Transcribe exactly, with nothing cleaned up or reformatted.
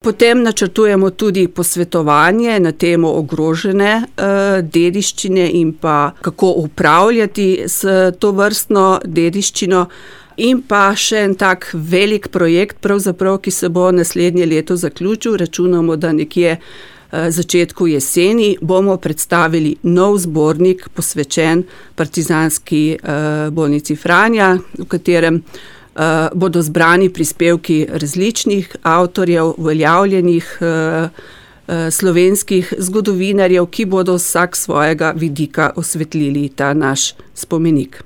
Potem načrtujemo tudi posvetovanje na temo ogrožene uh, dediščine in pa kako upravljati s tovrstno dediščino. In pa še en tak velik projekt, pravzaprav, ki se bo naslednje leto zaključil. Računamo, da nekje uh, začetku jeseni bomo predstavili nov zbornik posvečen Partizanski uh, bolnici Franja, v katerem Uh, bodo zbrani prispevki različnih avtorjev, uveljavljenih uh, uh, slovenskih zgodovinarjev, ki bodo vsak svojega vidika osvetlili ta naš spomenik.